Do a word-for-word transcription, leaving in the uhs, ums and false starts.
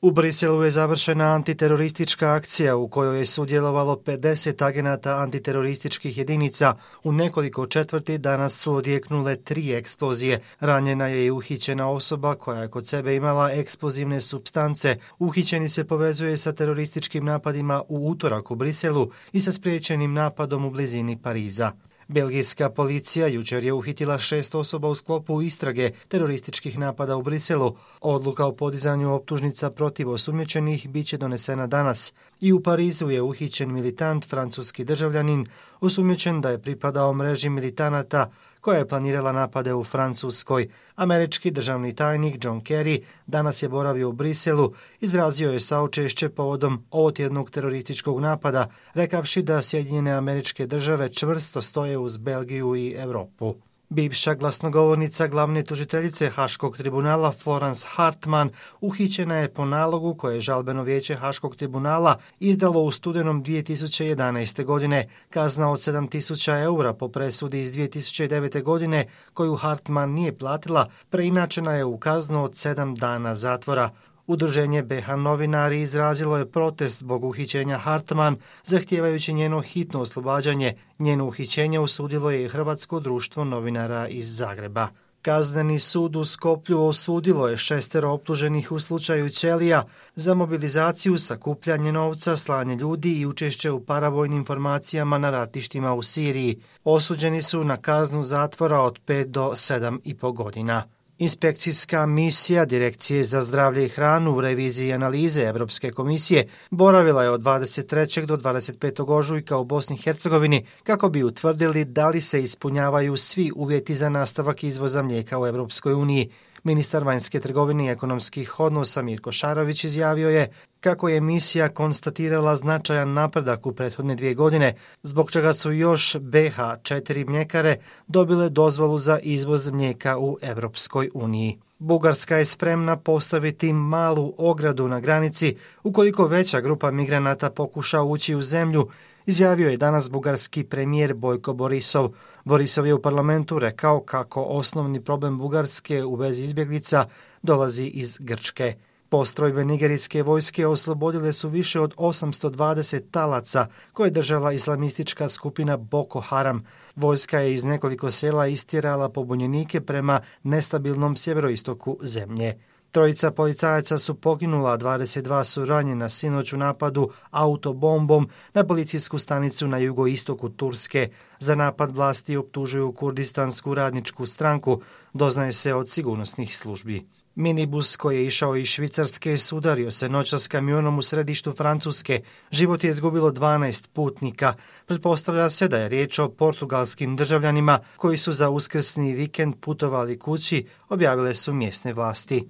U Briselu je završena antiteroristička akcija u kojoj je sudjelovalo pedeset agenata antiterorističkih jedinica. U nekoliko četvrti danas su odjeknule tri eksplozije. Ranjena je i uhićena osoba koja je kod sebe imala eksplozivne supstance. Uhićeni se povezuje sa terorističkim napadima u utorak u Briselu i sa spriječenim napadom u blizini Pariza. Belgijska policija jučer je uhitila šest osoba u sklopu istrage terorističkih napada u Briselu. Odluka o podizanju optužnica protiv osumnjičenih bit će donesena danas. I u Parizu je uhićen militant, francuski državljanin, osumnjičen da je pripadao mreži militanata koja je planirala napade u Francuskoj. Američki državni tajnik John Kerry danas je boravio u Briselu, izrazio je saučešće povodom ovotjednog terorističkog napada, rekavši da Sjedinjene Američke Države čvrsto stoje uz Belgiju i Europu. Bivša glasnogovornica glavne tužiteljice Haškog tribunala Florence Hartman uhićena je po nalogu koje je žalbeno vijeće Haškog tribunala izdalo u studenom dvije tisuće jedanaeste. godine. Kazna od sedam tisuća eura po presudi iz dvije tisuće devete. godine koju Hartman nije platila preinačena je u kaznu od sedam dana zatvora. Udruženje B H novinari izrazilo je protest zbog uhićenja Hartman, zahtijevajući njeno hitno oslobađanje. Njeno uhićenje osudilo je i Hrvatsko društvo novinara iz Zagreba. Kazneni sud u Skoplju osudilo je šestero optuženih u slučaju Ćelija za mobilizaciju, sakupljanje novca, slanje ljudi i učešće u paravojnim formacijama na ratištima u Siriji. Osuđeni su na kaznu zatvora od pet do sedam i po godina. Inspekcijska misija Direkcije za zdravlje i hranu u reviziji analize Europske komisije boravila je od dvadeset trećeg do dvadeset petog ožujka u Bosni i Hercegovini kako bi utvrdili da li se ispunjavaju svi uvjeti za nastavak izvoza mlijeka u Europskoj uniji. Ministar vanjske trgovine i ekonomskih odnosa Mirko Šarović izjavio je kako je misija konstatirala značajan napredak u prethodne dvije godine, zbog čega su još B H četiri mljekare dobile dozvolu za izvoz mlijeka u Europskoj uniji. Bugarska je spremna postaviti malu ogradu na granici ukoliko veća grupa migranata pokuša ući u zemlju, izjavio je danas bugarski premijer Bojko Borisov. Borisov je u parlamentu rekao kako osnovni problem Bugarske u vezi izbjeglica dolazi iz Grčke. Postrojbe nigerijske vojske oslobodile su više od osamsto dvadeset talaca koje je držala islamistička skupina Boko Haram. Vojska je iz nekoliko sela istjerala pobunjenike prema nestabilnom sjeveroistoku zemlje. Trojica policajaca su poginula, a dvadeset dva su ranjena sinoć u napadu autobombom na policijsku stanicu na jugoistoku Turske. Za napad vlasti optužuju Kurdistansku radničku stranku, doznaje se od sigurnosnih službi. Minibus koji je išao iz Švicarske sudario se noćas s kamionom u središtu Francuske. Život je izgubilo dvanaest putnika. Pretpostavlja se da je riječ o portugalskim državljanima koji su za uskrsni vikend putovali kući, objavile su mjesne vlasti.